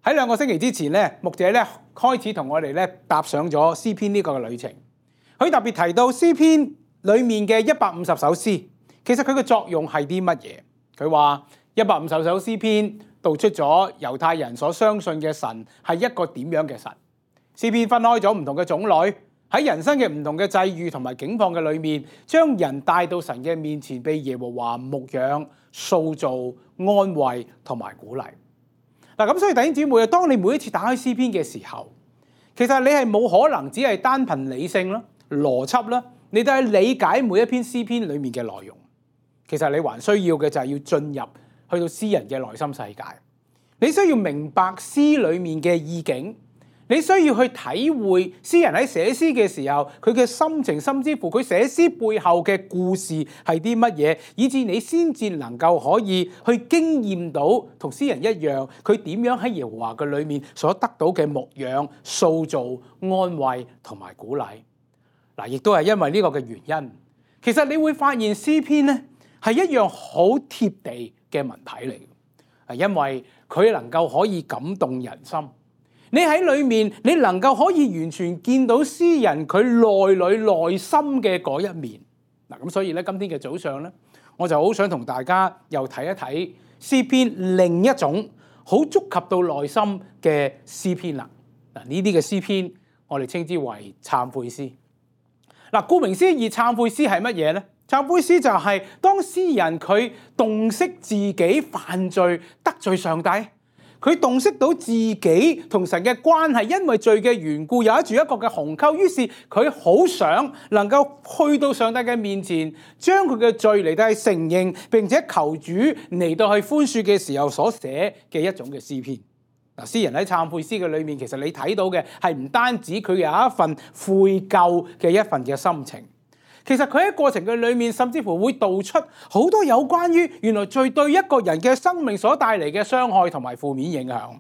喺2個星期之前咧，牧者咧開始同我哋咧踏上咗詩篇呢個嘅旅程。佢特別提到詩篇裡面嘅150首詩，其實佢嘅作用係啲乜嘢？佢話150首詩篇道出咗猶太人所相信嘅神係一個點樣嘅神。詩篇分開咗唔同嘅種類，喺人生嘅唔同嘅際遇同埋境況嘅裏面，將人帶到神嘅面前，被耶和華牧養、塑造、安慰同埋鼓勵。嗱，咁所以弟兄姊妹啊，當你每一次打開詩篇嘅時候，其實你係冇可能只係單憑理性啦、邏輯啦，你都係理解每一篇詩篇裡面嘅內容。其實你還需要嘅就係要進入去到詩人嘅內心世界，你需要明白詩裡面嘅意境。你需要去體會詩人喺寫詩嘅時候佢嘅心情，甚至乎佢寫詩背後嘅故事係啲乜嘢，以至你先至能夠可以去經驗到同詩人一樣，佢點樣喺耶和華嘅裏面所得到嘅牧養、塑造、安慰同埋鼓勵。嗱，亦都係因為呢個嘅原因，其實你會發現詩篇咧係一樣好貼地嘅文體嚟，係因為佢能夠可以感動人心。你喺裏面，你能夠可以完全見到詩人佢內心嘅嗰一面。嗱，咁所以咧，今天嘅早上咧，我就好想同大家又睇一睇詩篇另一種好觸及到內心嘅詩篇啦。嗱，呢啲嘅詩篇我哋稱之為懺悔詩。嗱，顧名思義，懺悔詩係乜嘢咧？懺悔詩就係當詩人佢洞悉自己犯罪得罪上帝。佢洞悉到自己同神嘅關係，因為罪嘅緣故有住一個嘅鴻溝，於是佢好想能夠去到上帝嘅面前，將佢嘅罪嚟到去承認，並且求主嚟到去寬恕嘅時候所寫嘅一種嘅詩篇。嗱，詩人喺懺悔詩嘅裏面，其實你睇到嘅係唔單止佢有一份悔疚嘅一份嘅心情。其實佢喺過程嘅裏面，甚至乎會道出好多有關於原來罪對一個人嘅生命所帶嚟嘅傷害同埋負面影響。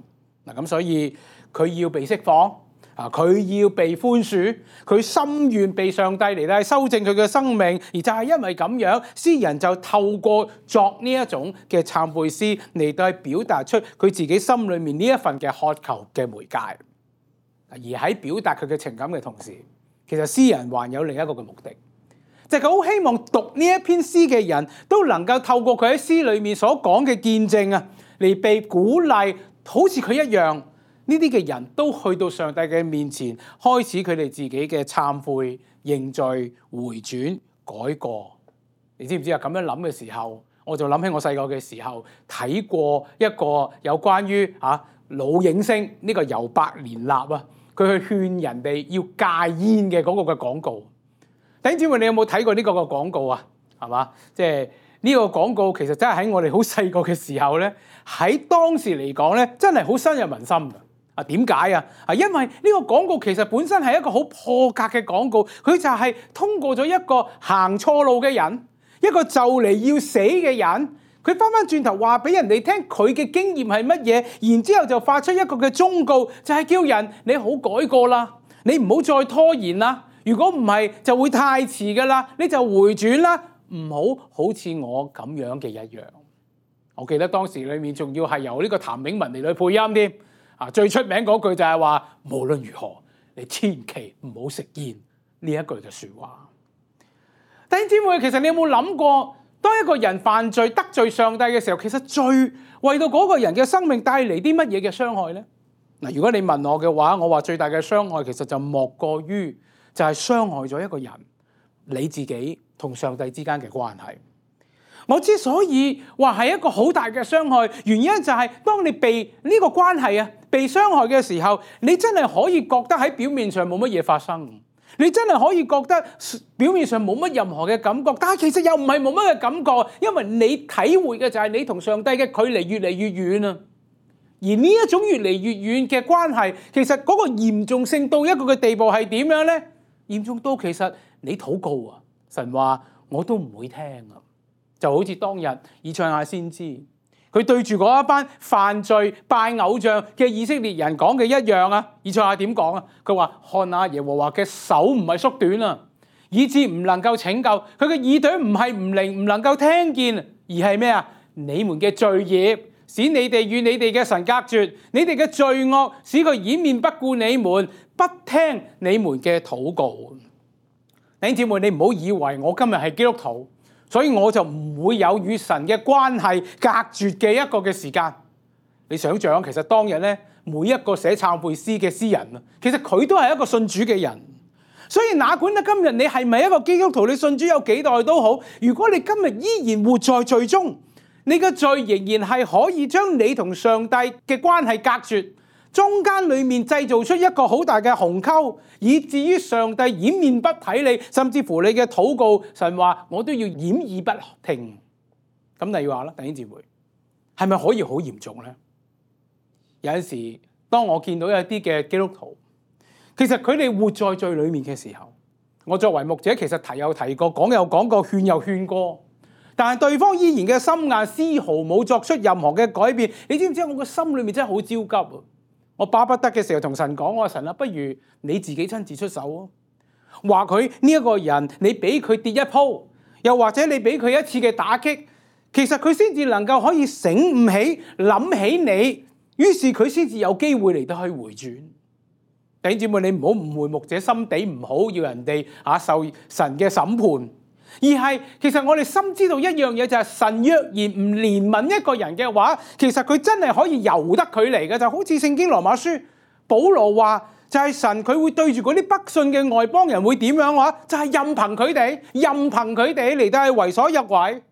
嗱，咁所以佢要被釋放，佢要被寬恕，佢心願被上帝嚟到修正佢嘅生命，而就係因為咁樣，詩人就透過作呢一種嘅懺悔詩嚟到去表達出佢自己心裏面呢一份嘅渴求嘅媒介。而喺表達佢嘅情感嘅同時，其實詩人還有另一個嘅目的。就係佢好希望讀呢一篇詩嘅人都能夠透過佢喺詩裏面所講嘅見證啊，嚟被鼓勵，好似佢一樣，呢啲嘅人都去到上帝嘅面前，開始佢哋自己嘅懺悔、認罪、回轉、改過。你知唔知啊？咁樣諗嘅時候，我就諗起我細個嘅時候睇過一個有關於老影星呢個尤伯連納啊，佢去勸人哋要戒煙嘅嗰個嘅廣告。弟兄姊妹，你有冇睇過呢個嘅廣告啊？係嘛？即係呢個廣告其實真係喺我哋好細個嘅時候咧，喺當時嚟講咧，真係好深入民心㗎。點解啊？因為呢個廣告其實本身係一個好破格嘅廣告，佢就係通過咗一個行錯路嘅人，一個就嚟要死嘅人，佢翻返轉頭話俾人哋聽佢嘅經驗係乜嘢，然之後就發出一個嘅忠告，就係叫人你好改過啦，你唔好再拖延啦。如果唔係就會太遲㗎啦，你就回轉啦，唔好似我咁樣嘅一樣。我記得當時裏面仲要係由呢個譚炳文嚟去配音添。最出名嗰句就係話，無論如何，你千祈唔好食煙呢一句嘅説話。弟兄姊妹，其實你有冇諗過，當一個人犯罪得罪上帝嘅時候，其實罪為到嗰個人嘅生命帶嚟啲乜嘢嘅傷害呢？嗱，如果你問我嘅話，我話最大嘅傷害其實就莫過於就係傷害咗一個人你自己同上帝之間嘅關係。我之所以話係一個好大嘅傷害，原因就係當你被呢個關係被傷害嘅時候，你真係可以覺得喺表面上冇乜嘢發生，你真係可以覺得表面上冇乜任何嘅感覺，但係其實又唔係冇乜嘅感覺，因為你體會嘅就係你同上帝嘅距離越嚟越遠啊。而呢一種越嚟越遠嘅關係，其實嗰個嚴重性到一個嘅地步係點樣呢？嚴重到其實你禱告啊，神話我都唔會聽啊，就好似當日以賽亞先知佢對住嗰一班犯罪拜偶像嘅以色列人講嘅一樣啊。以賽亞點講啊？佢話看下耶和華嘅手唔係縮短啊，以致唔能夠拯救，佢嘅耳朵唔係唔靈唔能夠聽見，而係咩啊？你們嘅罪孽使你哋與你哋嘅神隔絕，你哋嘅罪惡使佢掩面不顧你們，不聽你們嘅禱告。弟兄姊妹，你唔好以為我今日係基督徒，所以我就唔會有與神嘅關係隔絕嘅一個嘅時間。你想象其實當日咧，每一個寫懺悔詩嘅詩人啊，其實佢都係一個信主嘅人。所以哪管咧今日你係咪一個基督徒，你信主有幾代都好，如果你今日依然活在罪中，你嘅罪仍然係可以將你同上帝嘅關係隔絕，中間裏面製造出一個好大嘅鴻溝，以至於上帝掩面不睇你，甚至乎你嘅禱告，神話我都要掩耳不聽。咁你話啦，弟兄姊妹，係咪可以好嚴重呢？有陣時，當我見到有啲嘅基督徒，其實佢哋活在罪裏面嘅時候，我作為牧者，其實提有提過，講有講過，勸有勸過，但係對方依然嘅心硬，絲毫冇作出任何嘅改變。你知唔知我個心裏面真係好焦急啊！我巴不得嘅時候同神講，我話神啊，不如你自己親自出手啊！話佢呢一個人，你俾佢跌一鋪，又或者你俾佢一次嘅打擊，其實佢先至能夠可以醒悟起，諗起你，於是佢先至有機會嚟到去回轉。弟兄姊妹，你唔好誤會牧者心地唔好，要人哋受神嘅審判，而係其實我哋深知道一樣嘢，就係神若然唔憐憫一個人嘅話，其實佢真係可以由得佢嚟嘅。就好似聖經羅馬書保羅話，就係神佢會對住嗰啲不信嘅外邦人會點樣話，就係任憑佢哋嚟到係為所欲為。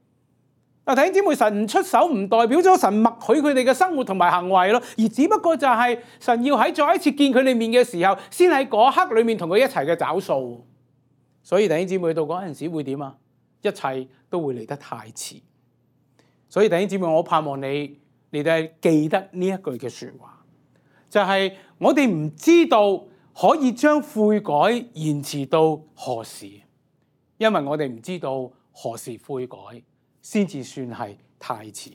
弟兄姊妹，神唔出手唔代表咗神默許佢哋嘅生活同埋行為咯，而只不過就係神要喺再一次見佢哋面嘅時候，先喺嗰刻裏面同佢一齊嘅找數。所以弟兄姊妹，到嗰陣時會點啊？一切都會嚟得太遲。所以弟兄姊妹，我盼望你哋記得呢一句嘅說話，就係我哋唔知道可以將悔改延遲到何時，因為我哋唔知道何時悔改先至算係太遲。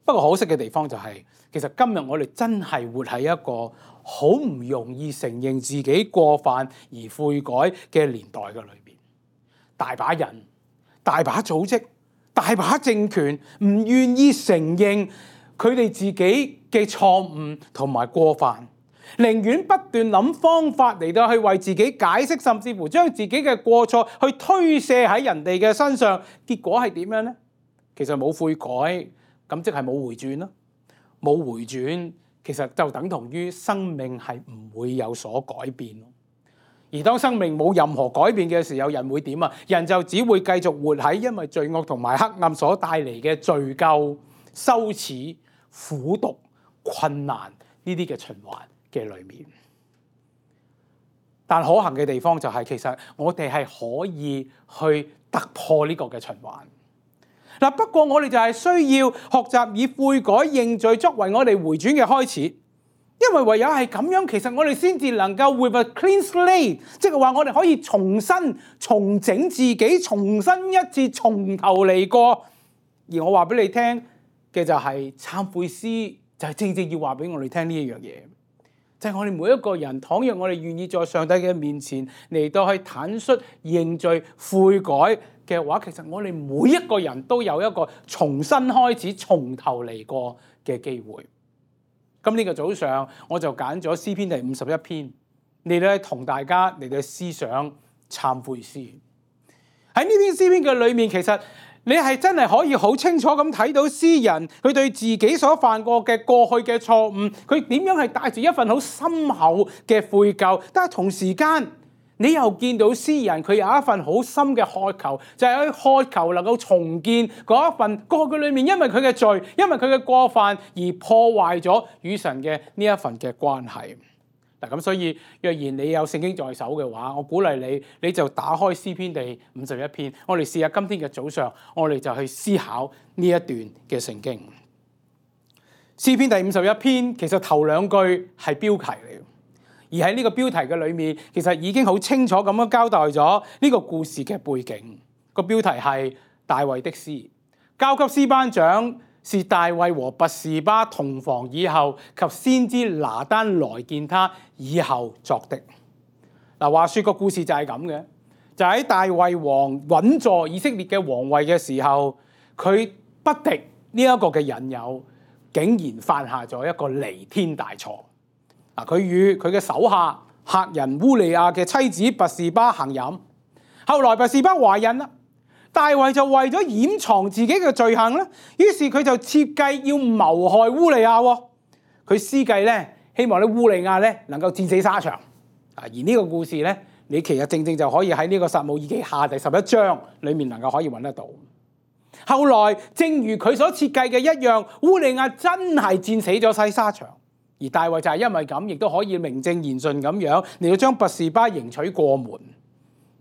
不過可惜嘅地方就係，其實今日我哋真係活喺一個好唔容易承認自己過犯而悔改嘅年代嘅裏邊。大把人、大把組織、大把政權唔願意承認佢哋自己嘅錯誤同埋過犯，寧願不斷諗方法嚟到去為自己解釋，甚至乎將自己嘅過錯去推卸喺人哋嘅身上。結果係點樣呢？其實冇悔改，咁即係冇回轉咯。冇回轉，其實就等同於生命係唔會有所改變咯。而當生命冇任何改變嘅時候，人會點啊？人就只會繼續活喺因為罪惡同埋黑暗所帶嚟嘅罪疚、羞恥、苦毒、困難呢啲嘅循環嘅裏面。但可行嘅地方就係，其實我哋係可以去突破呢個嘅循環。嗱，不過我哋就係需要學習以悔改認罪作為我哋回轉嘅開始。因為唯有係咁樣，其實我哋先至能夠 with a clean slate， 即係話我哋可以重新重整自己，重新一次從頭嚟過。而我話俾你聽嘅就係懺悔詩，就係正正要話俾我哋聽呢一樣嘢，就係我哋每一個人，倘若我哋願意在上帝嘅面前嚟到去坦率認罪悔改嘅話，其實我哋每一個人都有一個重新開始、從頭嚟過嘅機會。咁呢個早上我就揀咗詩篇第51篇嚟到同大家嚟到思想懺悔詩。喺呢篇詩篇嘅裏面，其實你係真係可以好清楚咁睇到詩人佢對自己所犯過嘅過去嘅錯誤，佢點樣係帶住一份好深厚嘅悔疚，但係同時間你又見到詩人佢有一份好深嘅渴求，就係去渴求能夠重建嗰一份過去裏面因為佢嘅罪，因為佢嘅過犯而破壞咗與神嘅呢一份嘅關係。嗱，咁所以若然你有聖經在手嘅話，我鼓勵你就打開詩篇第51篇，我哋試下今天嘅早上，我哋就去思考呢一段嘅聖經。詩篇第51篇其實頭兩句係標題嚟嘅。而喺呢個標題嘅裏面，其實已經好清楚咁樣交代咗呢個故事嘅背景。個標題係大衛的詩，交給詩班長是大衛和拔示巴同房以後，及先知拿單來見他以後作的。嗱，話說個故事就係咁嘅，就喺大衛王穩坐以色列嘅皇位嘅時候，佢不敵呢一個嘅引誘，竟然犯下咗一個彌天大錯。佢與佢嘅手下客人烏利亞嘅妻子拔士巴行淫，後來拔士巴懷孕啦。大衛就為咗掩藏自己嘅罪行咧，於是佢就設計要謀害烏利亞。佢施計咧，希望咧烏利亞咧能夠戰死沙場。而呢個故事咧，你其實正正就可以喺呢個撒母耳記下第11章裏面能夠可以揾得到。後來正如佢所設計嘅一樣，烏利亞真係戰死咗喺沙場，而大衛就係因為咁，亦都可以名正言順咁樣嚟到將拔士巴迎娶過門。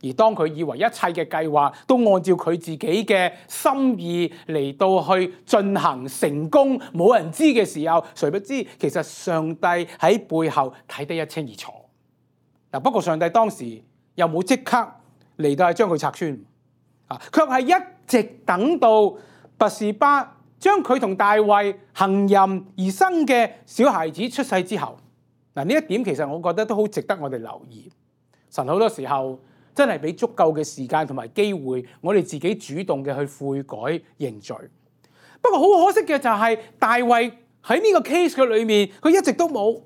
而當佢以為一切嘅計劃都按照佢自己嘅心意嚟到去進行成功，冇人知嘅時候，誰不知其實上帝喺背後睇得一清二楚。不過上帝當時又冇即刻嚟到係將佢拆穿，卻係一直等到拔士巴將佢同大衛行淫而生嘅小孩子出世之後。呢一點其實我覺得都好值得我哋留意。神好多時候真係俾足夠嘅時間同埋機會，我哋自己主動嘅去悔改認罪。不過好可惜嘅就係大衛喺呢個 case 嘅裏面，佢一直都冇，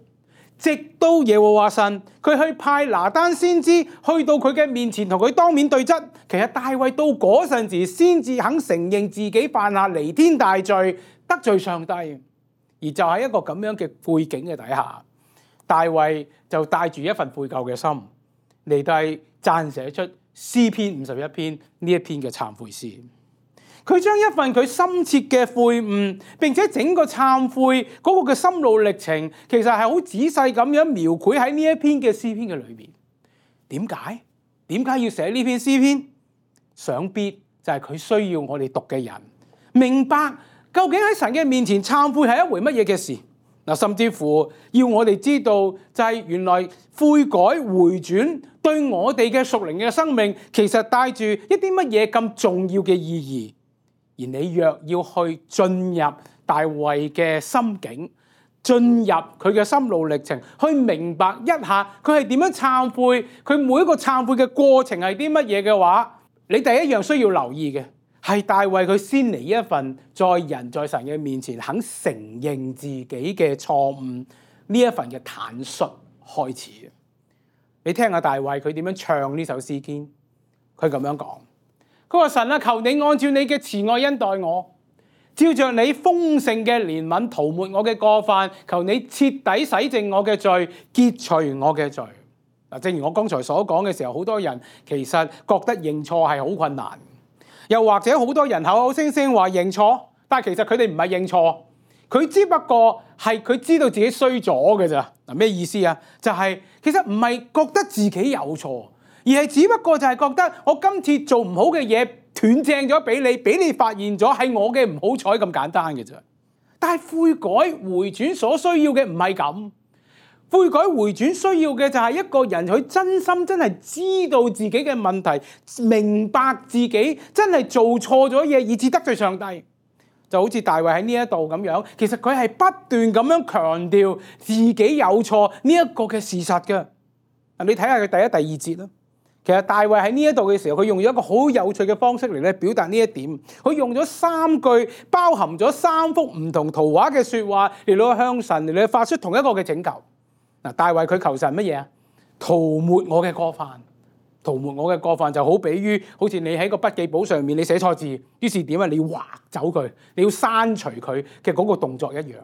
直到耶和華神佢去派拿單先知去到佢嘅面前同佢當面對質。其實大衛到嗰陣時先至肯承認自己犯下彌天大罪，得罪上帝。而就喺一個咁樣嘅背景嘅底下，大衛就帶住一份悔疚嘅心嚟到撰寫出詩篇51篇呢一篇嘅懺悔詩。佢將一份佢深切嘅悔悟，並且整個懺悔嗰個嘅心路歷程，其實係好仔細咁樣描繪喺呢一篇嘅詩篇嘅裏面。點解？點解要寫呢篇詩篇？想必就係佢需要我哋讀嘅人明白究竟喺神嘅面前懺悔係一回乜嘢嘅事。甚至乎要我哋知道，就係原來悔改回轉對我哋嘅屬靈嘅生命，其實帶住一啲乜嘢咁重要嘅意義。而你若要去進入大衛嘅心境，進入佢嘅心路歷程，去明白一下佢係點樣懺悔，佢每一個懺悔嘅過程係啲乜嘢嘅話，你第一樣需要留意嘅係大衛佢先嚟一份在人在神嘅面前肯承認自己嘅錯誤呢一份嘅坦率開始。你聽下大衛佢點樣唱呢首詩篇，佢咁樣講，佢話神啊，求你按照你嘅慈愛恩待我，照着你豐盛嘅憐憫塗抹我嘅過犯，求你徹底洗淨我嘅罪，潔除我嘅罪。正如我剛才所講嘅時候，好多人其實覺得認錯係好困難。又或者好多人口口聲聲話認錯，但係其實佢哋唔係認錯，佢只不過係佢知道自己衰咗嘅咋。咩意思啊？就係其實唔係覺得自己有錯，而係只不過就係覺得我今次做唔好嘅嘢斷正咗俾你發現咗，係我嘅唔好彩咁簡單嘅咋。但係悔改回轉所需要嘅唔係咁。悔改回轉需要嘅就係一個人佢真心真係知道自己嘅問題，明白自己真係做錯咗嘢，以致得罪上帝。就好似大衛喺呢一度咁樣，其實佢係不斷咁樣強調自己有錯呢一個嘅事實嘅。你睇下佢第一、第二節啦。其實大衛喺呢一度嘅時候，佢用咗一個好有趣嘅方式嚟咧表達呢一點。佢用咗3句包含咗3幅唔同圖畫嘅說話嚟到向神嚟到發出同一個嘅請求。大衛佢求神乜嘢啊？塗抹我嘅過犯，塗抹我嘅過犯就好比於好似你喺個筆記簿上面你寫錯字，於是點啊？你要劃走佢，你要刪除佢嘅嗰個動作一樣。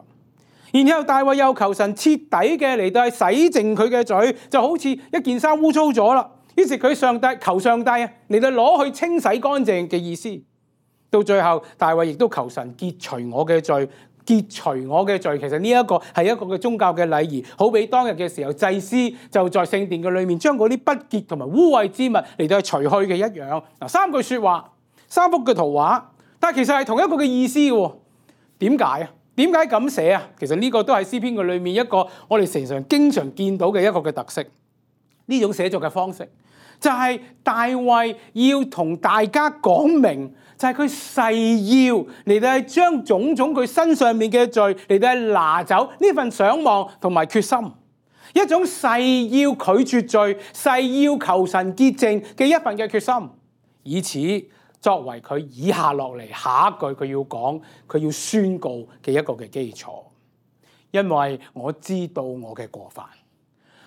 然後大衛又求神徹底嘅嚟到洗淨佢嘅罪，就好似一件衫污糟咗啦。於是佢求上帝啊嚟到攞去清洗乾淨嘅意思。到最後大衛亦都求神潔除我嘅罪。潔除我嘅罪，其實呢一個係一個嘅宗教嘅禮儀，好比當日嘅時候祭司就在聖殿嘅裏面將嗰啲不潔同埋污穢之物嚟到去除去嘅一樣。3句說話，3幅嘅圖畫，但係其實係同一個嘅意思嘅。點解啊？點解咁寫啊？其實呢個都係詩篇嘅裏面一個我哋常常經常見到嘅一個嘅特色。呢種寫作嘅方式就係大衛要同大家講明，就係佢誓要嚟到係將種種佢身上面嘅罪嚟到係拿走呢份想望同埋決心，一種誓要拒絕罪、誓要求神潔淨嘅一份嘅決心，以此作為佢以下落嚟下一句佢要講、佢要宣告嘅一個嘅基礎。因為我知道我嘅過犯，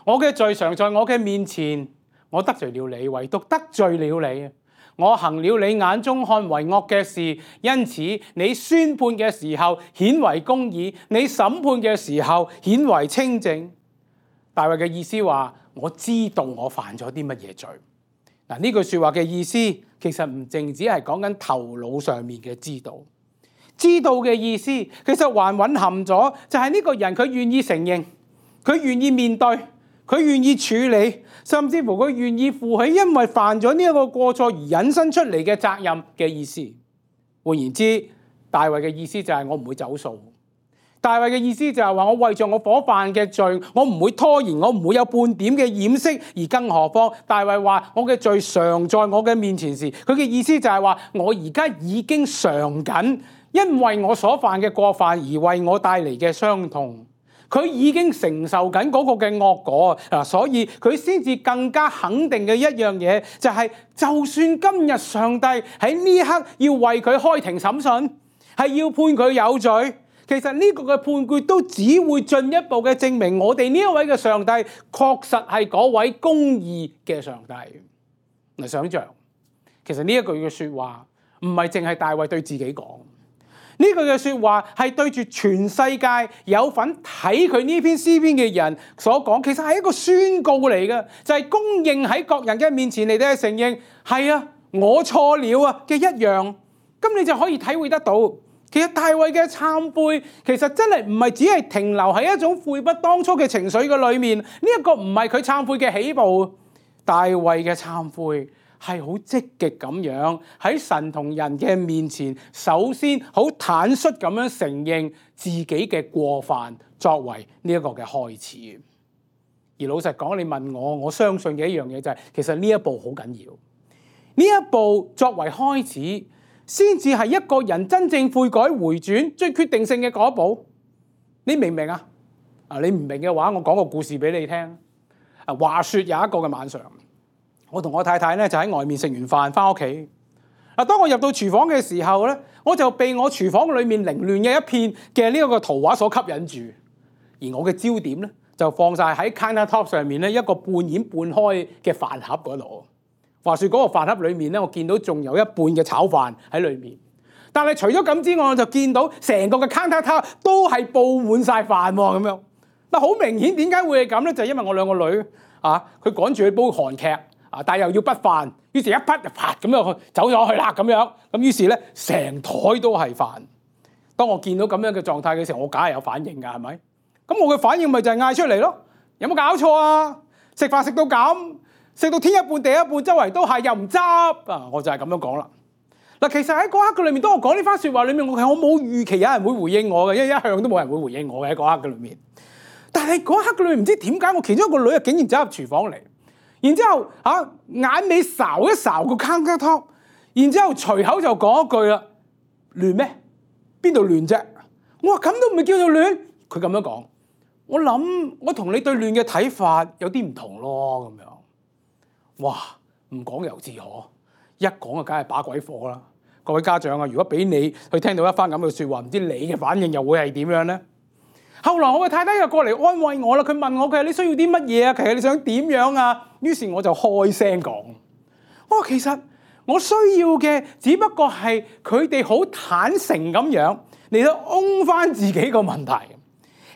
我嘅罪常在我嘅面前，我得罪了你，唯獨得罪了你。我行了你眼中看為惡嘅事，因此你宣判嘅時候顯為公義，你審判嘅時候顯為清正。大衛嘅意思話，我知道我犯咗啲乜嘢罪。嗱，呢句說話嘅意思其實唔淨止係講緊頭腦上面嘅知道，知道嘅意思其實還蘊含咗就係呢個人佢願意承認，佢願意面對，佢願意處理，甚至乎佢願意負起因為犯咗呢一個過錯而引申出嚟嘅責任嘅意思。換言之，大衛嘅意思就係我唔會走數。大衛嘅意思就係話，我為着我所犯嘅罪，我唔會拖延，我唔會有半點嘅掩飾。而更何況大衛話我嘅罪常在我嘅面前時，佢嘅意思就係話我而家已經嘗緊因為我所犯嘅過犯而為我帶嚟嘅傷痛，佢已經承受緊嗰個嘅惡果啊！所以佢先至更加肯定嘅一樣嘢，就係就算今日上帝喺呢一刻要為佢開庭審訊，係要判佢有罪。其實呢個嘅判決都只會進一步嘅證明我哋呢一位嘅上帝確實係嗰位公義嘅上帝。嚟想象，其實呢一句嘅說話唔係淨係大衛對自己講，呢句嘅說話係對住全世界有份睇佢呢篇詩篇嘅人所講，其實係一個宣告嚟嘅，就係公認喺各人嘅面前嚟到承認，係啊，我錯了啊嘅一樣。咁你就可以體會得到。其實大衛嘅懺悔，其實真係唔係只係停留喺一種悔不當初嘅情緒嘅裏面，呢一個唔係佢懺悔嘅起步。大衛嘅懺悔係好積極咁樣喺神同人嘅面前，首先好坦率咁樣承認自己嘅過犯，作為呢一個嘅開始。而老實講，你問我，我相信嘅一樣嘢就係，其實呢一步好緊要。呢一步作為開始，先至係一個人真正悔改回轉最決定性嘅嗰一步。你明唔明啊？你唔明嘅話，我講個故事俾你聽。話說有一個嘅晚上，我同我太太咧就喺外面食完飯翻屋企。當我入到廚房嘅時候咧，我就被我廚房裏面凌亂嘅一片嘅呢一個圖畫所吸引住，而我嘅焦點咧就放晒喺 countertop 上面咧一個半掩半開嘅飯盒嗰度。話說嗰個飯盒裏面咧，我見到仲有一半嘅炒飯喺裏面，但係除咗咁之外，我就見到成個嘅 countertop 都係佈滿晒飯咁樣。嗱，好明顯點解會係咁咧？就係因為我兩個女佢趕住去煲韓劇但係又要畢飯，於是一畢就啪咁樣走咗去啦咁樣。咁於是咧成台都係飯。當我見到咁樣嘅狀態嘅時候，我梗係有反應㗎，係咪？咁我嘅反應咪就係嗌出嚟咯。有冇搞錯啊？食飯食到咁？食到天一半地一半，周圍都係又唔執啊！我就係咁樣講啦。嗱，其實喺嗰刻嘅裏面，當我講呢番説話裏面，我冇預期有人會回應我嘅，因為一向都冇人會回應我嘅喺嗰刻嘅裏面。但係嗰刻嘅裏面唔知點解，我其中一個女啊竟然走入廚房嚟，然之後眼尾睄一睄個 countertop，然之後隨口就講一句啦：亂咩？邊度亂啫？我話咁都唔係叫做亂。佢咁樣講，我諗我同你對亂嘅睇法有啲唔同咯，咁樣。哇！唔講猶自可，一講啊，梗係把鬼火啦！各位家長啊，如果俾你去聽到一番咁嘅説話，唔知你嘅反應又會係點樣呢？後來我嘅太太又過嚟安慰我啦，佢問我：佢話你需要啲乜嘢啊？其實你想點樣啊？於是我就開聲講：我話其實我需要嘅只不過係佢哋好坦誠咁樣嚟到擁翻自己個問題。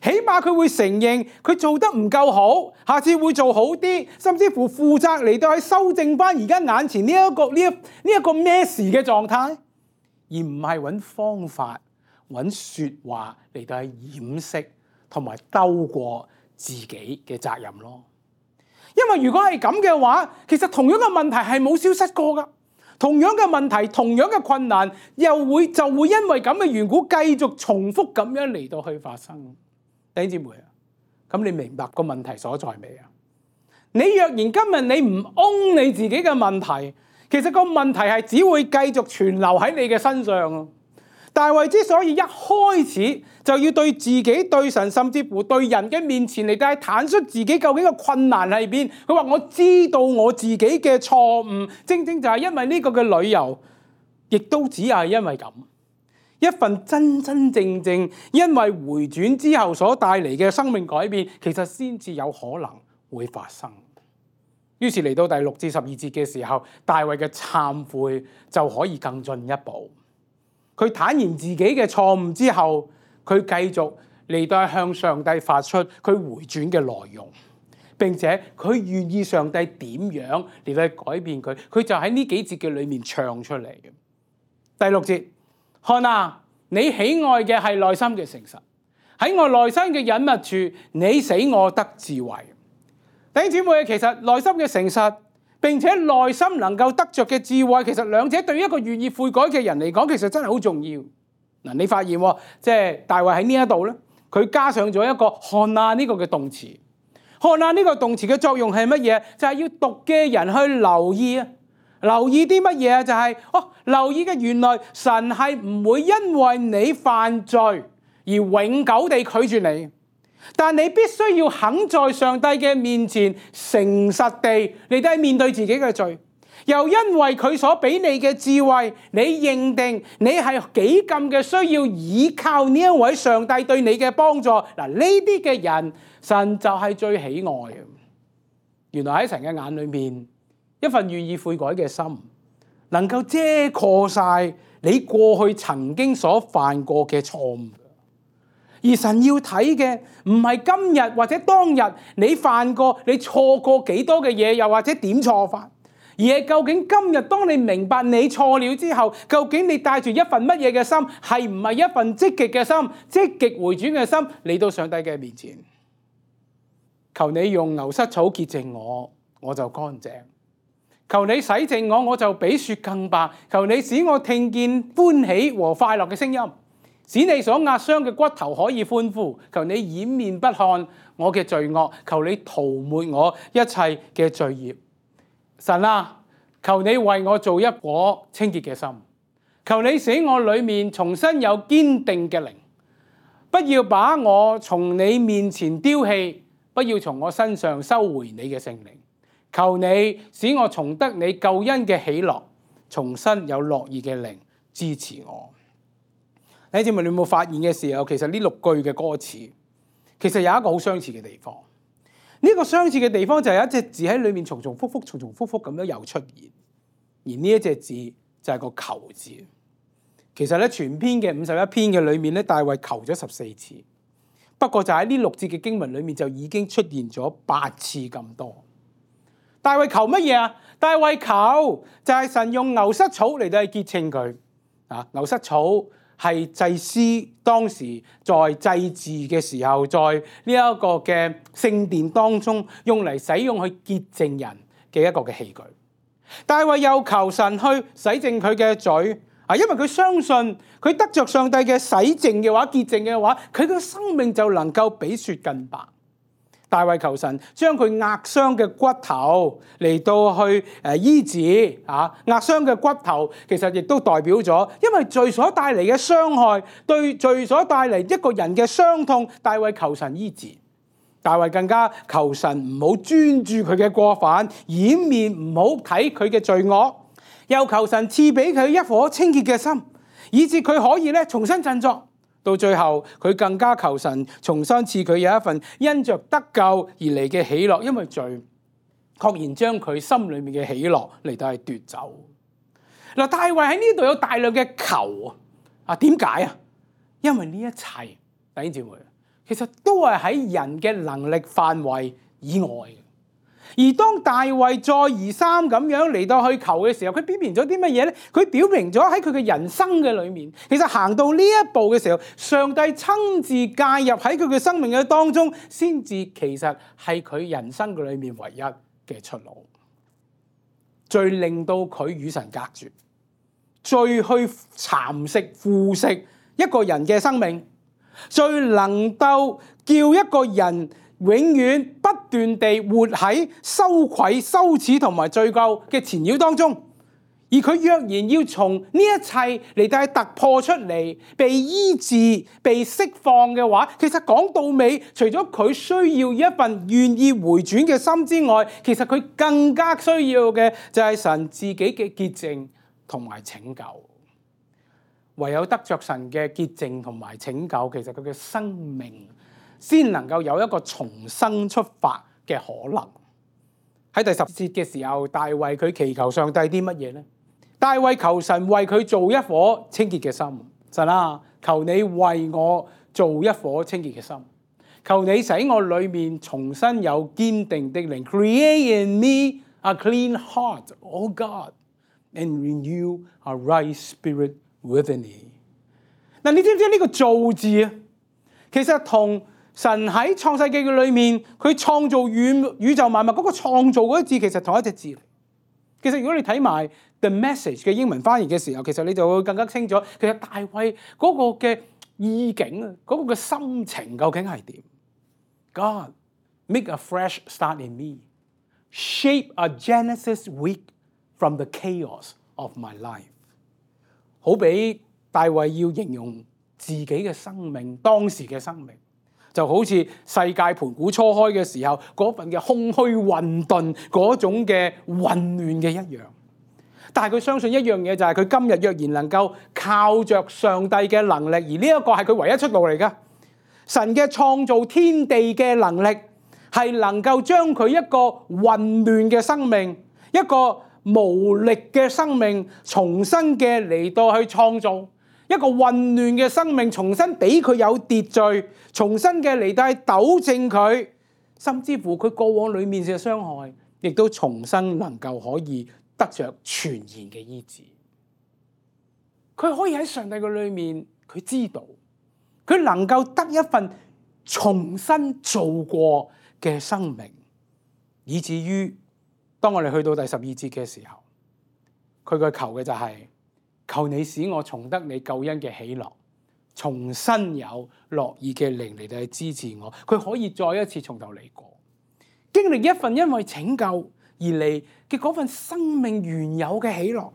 起碼佢會承認佢做得唔夠好，下次會做好啲，甚至乎負責嚟到去修正翻而家眼前呢一個咩事嘅狀態，而唔係揾方法、揾説話嚟到去掩飾同埋兜過自己嘅責任咯。因為如果係咁嘅話，其實同樣嘅問題係冇消失過噶，同樣嘅問題、同樣嘅困難就會因為咁嘅緣故繼續重複咁樣嚟到去發生。弟兄姊妹啊，咁你明白個問題所在未啊？你若然今日你唔擁你自己嘅問題，其實個問題係只會繼續存留喺你嘅身上啊！大衛之所以一開始就要對自己、對神，甚至乎對人嘅面前嚟到坦率自己究竟個困難喺邊，佢話我知道我自己嘅錯誤，正正就係因為呢個嘅理由，亦都只係因為咁，一份真真正正因為回轉之後所帶嚟嘅生命改變，其實先至有可能會發生。於是嚟到第6至12節嘅時候，大衛嘅懺悔就可以更進一步。佢坦然自己嘅錯誤之後，佢繼續嚟到向上帝發出佢回轉嘅內容，並且佢願意上帝點樣嚟到改變佢，佢就喺呢幾節嘅裏面唱出嚟嘅。第6節，看啊，你喜愛嘅係內心嘅誠實，喺我內心嘅隱密處，你使我得智慧。弟兄姊妹，其實內心嘅誠實，並且內心能夠得着嘅智慧，其實兩者對於一個願意悔改嘅人嚟講，其實真係好重要。嗱，你發現即係大衛喺呢一度咧，佢加上咗一個看啊呢個嘅動詞。看啊呢個動詞嘅作用係乜嘢？就係要讀嘅人去留意啊，留意啲乜嘢啊？就係留意嘅原來神係唔會因為你犯罪而永久地拒絕你。但你必須要肯在上帝嘅面前誠實地嚟到面對自己嘅罪，又因為佢所俾你嘅智慧，你認定你係幾咁嘅需要依靠呢一位上帝對你嘅幫助。嗱，呢啲嘅人，神就係最喜愛嘅。原來喺神嘅眼裏面，一份願意悔改嘅心，能夠遮蓋晒你過去曾經所犯過嘅錯誤。而神要睇嘅唔係今日或者當日你犯過、你錯過幾多嘅嘢，又或者點錯法，而係究竟今日當你明白你錯了之後，究竟你帶住一份乜嘢嘅心，係唔係一份積極嘅心、積極回轉嘅心嚟到上帝嘅面前？求你用牛膝草潔淨我，我就乾淨；求你洗淨我，我就比雪更白；求你使我聽見歡喜和快樂嘅聲音。使你所壓傷嘅骨頭可以歡呼，求你掩面不看我嘅罪惡，求你塗抹我一切嘅罪孽。神啊，求你為我做一顆清潔嘅心，求你使我裏面重新有堅定嘅靈，不要把我從你面前丟棄，不要從我身上收回你嘅聖靈。求你使我重得你救恩嘅喜樂，重新有樂意嘅靈支持我。弟兄姊妹，你有冇發現嘅時候，其實呢6句嘅歌詞，其實有一個好相似嘅地方。呢個相似嘅地方就係有一隻字喺裏面重重複複咁樣又出現，而呢一隻字就係個求字。其實咧，全篇嘅51篇嘅裏面咧，大衛求咗14次，不過就喺呢6節嘅經文裏面就已經出現咗8次咁多。大衛求乜嘢啊？大衛求就係神用牛膝草嚟到去潔淨佢啊！牛膝草係祭司當時在祭祀嘅時候，在呢一個嘅聖殿當中用嚟使用去潔淨人嘅一個嘅器具。大衛又求神去洗淨佢嘅罪啊，因為佢相信佢得着上帝嘅洗淨嘅話、潔淨嘅話，佢嘅生命就能夠比雪更白。大衛求神將佢壓傷嘅骨頭嚟到去醫治啊！壓傷嘅骨頭其實亦都代表咗，因為罪所帶嚟嘅傷害，對罪所帶嚟一個人嘅傷痛，大衛求神醫治。大衛更加求神唔好專注佢嘅過犯，掩面唔好睇佢嘅罪惡，又求神賜俾佢一顆清潔嘅心，以致佢可以重新振作。到最後，佢更加求神重新賜佢有一份因着得救而嚟嘅喜樂，因為罪確然將佢心裏面嘅喜樂嚟到係奪走。嗱，大衛喺呢度有大量嘅求啊，點解啊？因為呢一切弟兄姊妹，其實都係喺人嘅能力範圍以外嘅。而當大衛再而三咁樣嚟到去求嘅時候，佢表明咗啲乜嘢咧？佢表明咗喺佢嘅人生嘅裏面，其實行到呢一步嘅時候，上帝親自介入喺佢嘅生命嘅當中，先至其實係佢人生嘅裏面唯一嘅出路。最令到佢與神隔絕，最去蠶食腐蝕一個人嘅生命，最能夠叫一個人永遠不斷地活喺羞愧、羞恥同埋罪疚嘅纏繞當中，而佢若然要從呢一切嚟到突破出嚟，被醫治、被釋放嘅話，其實講到尾，除咗佢需要一份願意回轉嘅心之外，其實佢更加需要嘅就係神自己嘅潔淨同埋拯救。唯有得着神嘅潔淨同埋拯救，其實佢嘅生命先能夠有一個重生出發嘅可能。喺第10節嘅時候，大衛佢祈求上帝啲乜嘢呢？大衛求神為佢做一顆清潔嘅心。神啊，求你為我做一顆清潔嘅心，求你使我裏面重新有堅定的靈 ，Create in me a clean heart, O God, and renew a right spirit within me。嗱，你知唔知呢個造字啊？其實同神喺創世記嘅裏面，佢創造宇宙萬物嗰個創造嗰個字，其實同一隻字嚟。其實如果你睇埋 The Message 嘅英文翻譯嘅時候，其實你就會更加清楚，其實大衛嗰個嘅意境啊，嗰個嘅心情究竟係點 ？God make a fresh start in me, shape a Genesis week from the chaos of my life。好比大衛要形容自己嘅生命，當時嘅生命就好似世界盤古初開嘅時候嗰份嘅空虛混沌嗰種嘅混亂嘅一樣。但係佢相信一樣嘢，就係佢今日若然能夠靠着上帝嘅能力，而呢一個係佢唯一出路嚟㗎。神嘅創造天地嘅能力係能夠將佢一個混亂嘅生命，一個無力嘅生命，重新嘅嚟到去創造一個混亂嘅生命，重新俾佢有秩序，重新嘅嚟到去糾正佢，甚至乎佢過往裡面嘅傷害，亦都重新能夠可以得着全然嘅醫治。佢可以喺上帝嘅裏面，佢知道佢能夠得一份重新做過嘅生命，以至於當我哋去到第12節嘅時候，佢嘅求嘅就係求你使我重得你救恩嘅喜樂，重新有樂意嘅靈嚟到去支持我。佢可以再一次從頭嚟過，經歷一份因為拯救而嚟嘅嗰份生命原有嘅喜樂，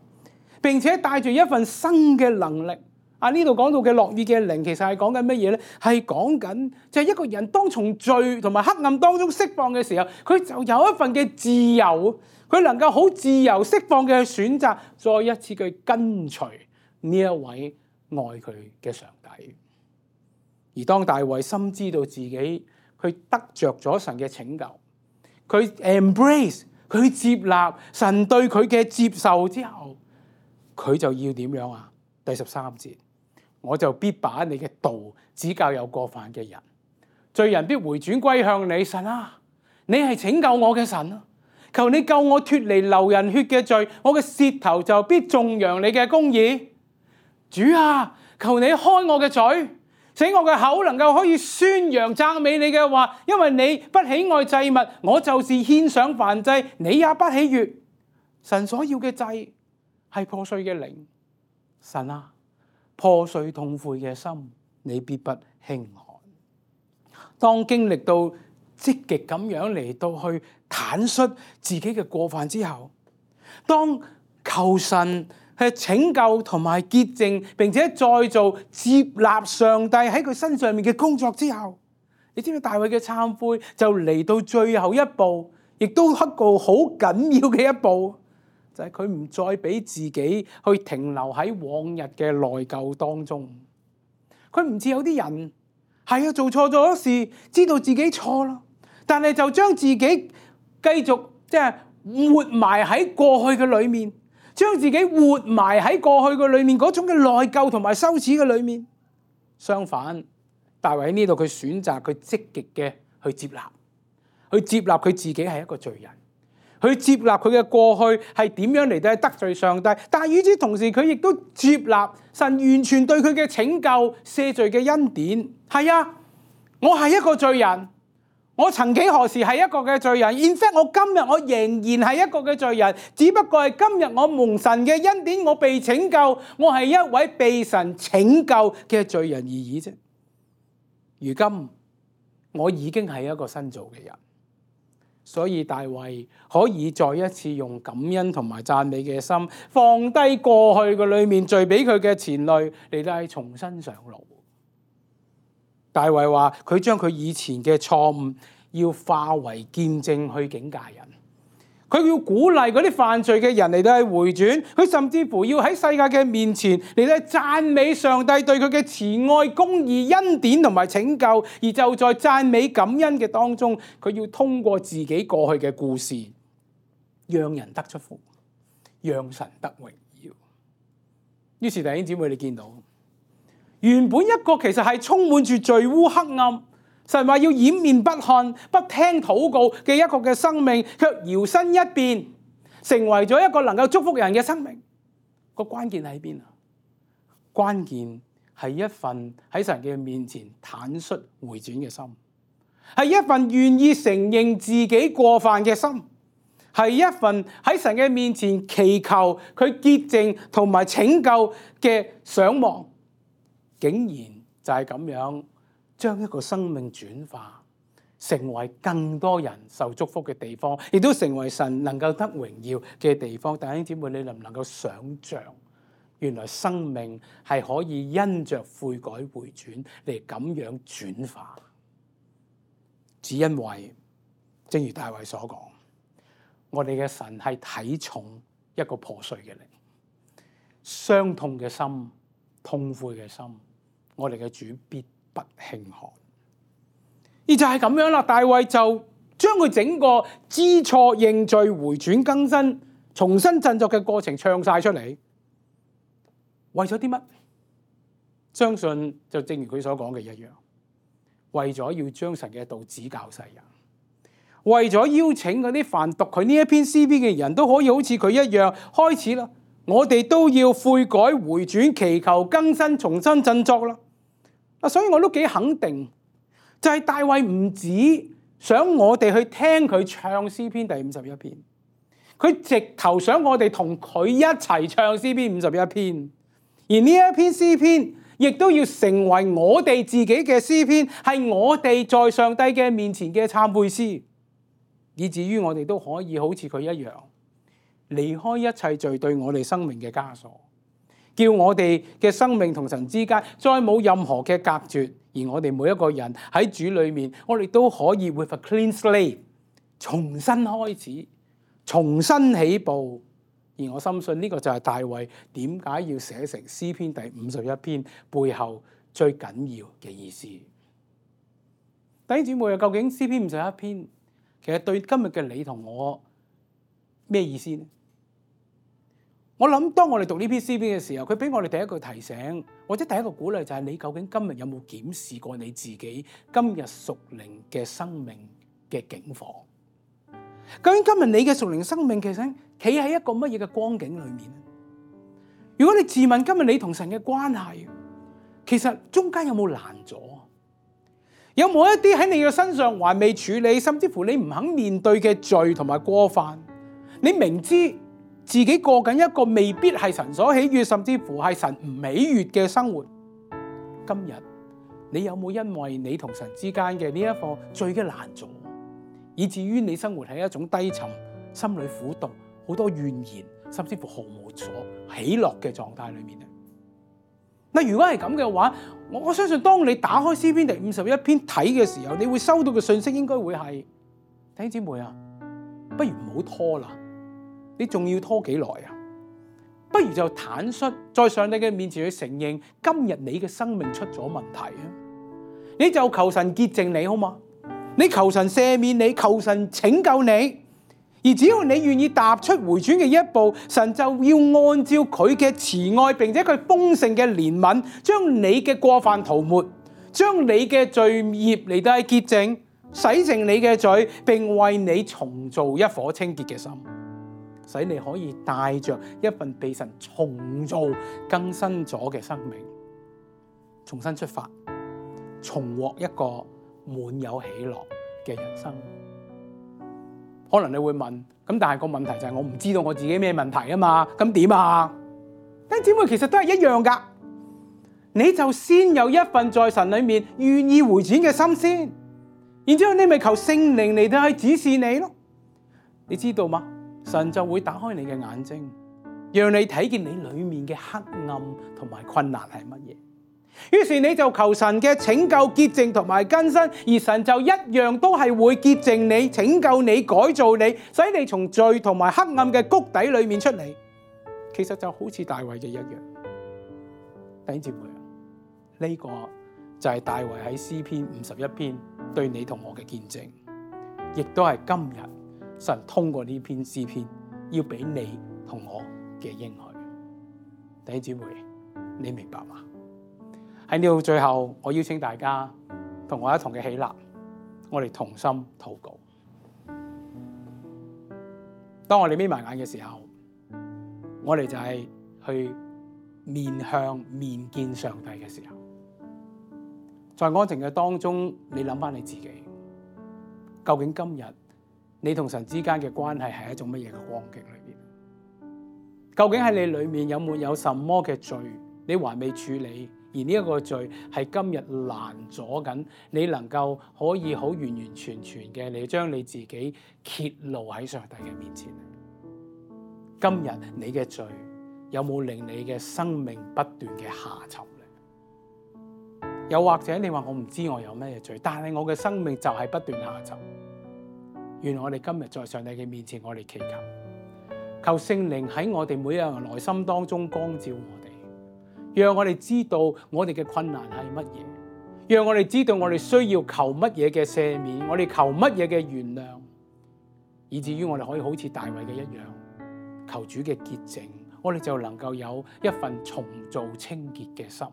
並且帶住一份新嘅能力。呢度講到嘅樂意嘅靈，其實係講緊乜嘢呢？係講緊就係一個人當從罪同埋黑暗當中釋放嘅時候，佢就有一份嘅自由，佢能夠好自由釋放嘅去選擇，再一次去跟隨呢一位愛佢嘅上帝。而當大衛深知道自己佢得着咗神嘅拯救，佢 embrace 佢接納神對佢嘅接受之後，佢就要點樣啊？第13節，我就必把你嘅道指教有過犯嘅人，罪人必回轉歸向你。神啊，你係拯救我嘅神啊！求你救我脫離流人血嘅罪，我嘅舌頭就必頌揚你嘅公義。主啊，求你開我嘅嘴，使我嘅口能夠可以宣揚讚美你嘅話，因為你不喜愛祭物，我就是獻上燔祭，你也不喜悅。神所要嘅祭係破碎嘅靈。神啊，破碎痛悔嘅心，你必不輕看。當經歷到積極咁樣嚟到去坦率自己嘅過犯之後，當求神去拯救同埋潔淨，並且再做接納上帝喺佢身上面嘅工作之後，你知唔知大衛嘅懺悔就嚟到最後一步，亦都一個好緊要嘅一步。就係佢唔再俾自己去停留喺往日嘅內疚當中。佢唔似有啲人係做錯咗事，知道自己錯啦，但係就將自己繼續活埋喺過去嘅裏面，將自己活埋喺過去嘅裏面嗰種嘅內疚同埋羞恥嘅裏面。相反，大衛喺呢度佢選擇佢積極嘅去接納佢自己係一個罪人。去接納佢嘅過去係點樣嚟到得罪上帝，但係與此同時佢亦都接納神完全對佢嘅拯救赦罪嘅恩典。係啊，我係一個罪人，我曾幾何時係一個嘅罪人。In fact，我今日我仍然係一個嘅罪人，只不過係今日我蒙神嘅恩典，我被拯救，我係一位被神拯救嘅罪人而已啫。如今我已經係一個新造嘅人。所以大衛可以再一次用感恩同埋讚美嘅心，放低過去嘅裏面罪俾佢嘅前累，嚟到係重新上路。大衛話佢將佢以前嘅錯誤要化為見證去警戒人，佢要鼓勵嗰啲犯罪嘅人嚟到去回轉，佢甚至乎要喺世界嘅面前嚟到去讚美上帝對佢嘅慈愛、公義、恩典同埋拯救，而就在讚美感恩嘅當中，佢要通過自己過去嘅故事，讓人得出福，讓神得榮耀。於是弟兄姊妹，你見到原本一個其實係充滿住罪污黑暗，神話要掩面不看、不聽禱告嘅一個嘅生命，卻搖身一變，成為咗一個能夠祝福人嘅生命。個關鍵喺邊啊？關鍵係一份喺神嘅面前坦率回轉嘅心，係一份願意承認自己過犯嘅心，係一份喺神嘅面前祈求佢潔淨同埋拯救嘅想望，竟然就係咁樣。將一個生命轉化，成為更多人受祝福嘅地方，亦都成為神能夠得榮耀嘅地方。弟兄姊妹，你能唔能夠想像，原來生命係可以因着悔改回轉嚟咁樣轉化？只因為，正如大衛所講，我哋嘅神係睇重一個破碎嘅靈、傷痛嘅心、痛悔嘅心，我哋嘅主必不輕看。而就係咁樣啦，大衛就將佢整個知錯認罪回轉更新重新振作嘅過程唱晒出嚟。為咗啲乜？相信就正如佢所講嘅一樣，為咗要將神嘅道指教世人，為咗邀請嗰啲凡讀佢呢一篇詩篇嘅人都可以好似佢一樣開始啦。我哋都要悔改回轉，祈求更新重新振作啦。所以我都幾肯定，就係大衛唔止想我哋去聽佢唱詩篇第51篇，佢直頭想我哋同佢一齊唱詩篇51篇，而呢一篇詩篇亦都要成為我哋自己嘅詩篇，係我哋在上帝嘅面前嘅懺悔詩，以至於我哋都可以好似佢一樣，離開一切罪對我哋生命嘅枷鎖，叫我哋嘅生命同神之間再冇任何嘅隔絕，而我哋每一個人喺主裏面，我哋都可以 with a clean slate 重新開始，重新起步。而我深信呢個就係大衛點解要寫成詩篇第51篇背後最緊要嘅意思。弟兄姊妹，究竟詩篇51篇其實對今日嘅你同我咩意思呢？我諗當我哋讀呢篇詩篇嘅時候，佢俾我哋第一個提醒，或者第一個鼓勵就係你究竟今日有冇檢視過你自己今日屬靈嘅生命嘅境況？究竟今日你嘅屬靈生命其實企喺一個乜嘢嘅光景裏面？如果你自問今日你同神嘅關係，其實中間有冇攔阻？有冇一啲喺你嘅身上還未處理，甚至乎你唔肯面對嘅罪同埋過犯？你明知自己過緊一個未必係神所喜悅，甚至乎係神唔喜悅嘅生活。今日你有冇因為你同神之間嘅呢一個罪嘅攔阻，以至於你生活喺一種低沉、心裏苦毒、好多怨言，甚至乎毫無所喜樂嘅狀態裏面咧？嗱，如果係咁嘅話，我相信當你打開詩篇第51篇睇嘅時候，你會收到嘅信息應該會係：弟兄姊妹啊，不如唔好拖啦。你仲要拖幾耐啊？不如就坦率在上帝嘅面前去承認，今日你嘅生命出咗問題啊！你就求神潔淨你好嗎？你求神赦免你，求神拯救你。而只要你願意踏出回轉嘅一步，神就要按照佢嘅慈愛，並且佢豐盛嘅憐憫，將你嘅過犯塗抹，將你嘅罪孽嚟到潔淨，洗淨你嘅罪，並為你重造一顆清潔嘅心。使你可以帶着一份被神重造更新咗嘅生命，重新出發，重獲一個滿有喜樂嘅人生。可能你會問，咁但係個問題就係我唔知道我自己咩問題啊嘛，咁點啊？弟兄姊妹，其實都係一樣噶，你就先有一份在神裏面願意回轉嘅心先，然之後你咪求聖靈嚟到去指示你咯。你知道嗎？神就會打開你嘅眼睛，讓你睇見你裏面嘅黑暗同埋困難係乜嘢，於是你就求神嘅拯救、潔淨同埋更新，而神就一樣都係會潔淨你、拯救你、改造你，使你從罪同埋黑暗嘅谷底裏面出嚟。其實就好似大衛嘅一樣。弟兄姊妹，呢個就係大衛喺詩篇51篇對你同我嘅見證，亦都係今日神通過呢篇詩篇要俾你同我嘅應許。弟兄姊妹，你明白嗎？喺呢度最後，我邀請大家同我一同嘅起立，我哋同心禱告。當我哋眯埋眼嘅時候，我哋就係去面向面見上帝嘅時候，在安靜嘅當中，你諗翻你自己，究竟今日你同神之間嘅關係係一種乜嘢嘅光景裏邊？究竟喺你裏面有沒有什麼嘅罪，你還未處理？而呢一個罪係今日攔阻緊你能夠可以好完完全全嘅你將你自己揭露喺上帝嘅面前。今日你嘅罪有冇令你嘅生命不斷嘅下沉呢？又或者你話我唔知我有咩罪，但係我嘅生命就係不斷下沉。原來我哋今日在上帝嘅面前，我哋祈求聖靈喺我哋每一個人內心當中光照我哋。讓我哋知道我哋嘅困難係乜嘢，讓我哋知道我哋需要求乜嘢嘅赦免，我哋求乜嘢嘅原諒，以至於我哋可以好似大衛嘅一樣，求主嘅潔淨，我哋就能夠有一份重造清潔嘅心。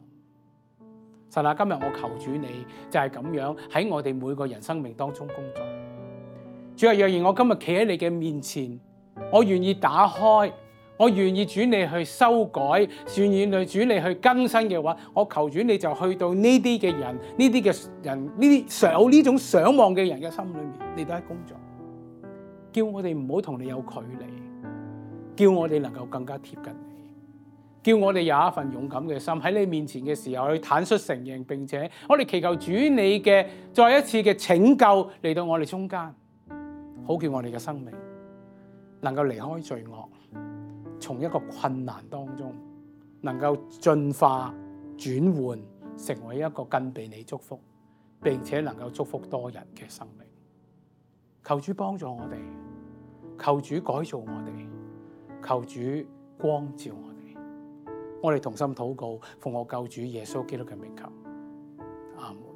神啊，今日我求主你就係咁樣喺我哋每個人生命當中工作。主啊，若然我今日企喺你嘅面前，我願意打開。我願意主你去修改，願意主你去更新嘅話，我求主你就去到呢啲嘅人，呢啲嘅人，呢啲有呢種想望嘅人嘅心裏面，你都喺工作，叫我哋唔好同你有距離，叫我哋能夠更加貼近你，叫我哋有一份勇敢嘅心喺你面前嘅時候去坦率承認，並且我哋祈求主你嘅再一次嘅拯救嚟到我哋中間，好叫我哋嘅生命能夠離開罪惡。從一個困難當中，能夠進化轉換，成為一個更被你祝福，並且能夠祝福多人嘅生命。求主幫助我哋，求主改造我哋，求主光照我哋。我哋同心禱告，奉我救主耶穌基督嘅名求，阿門。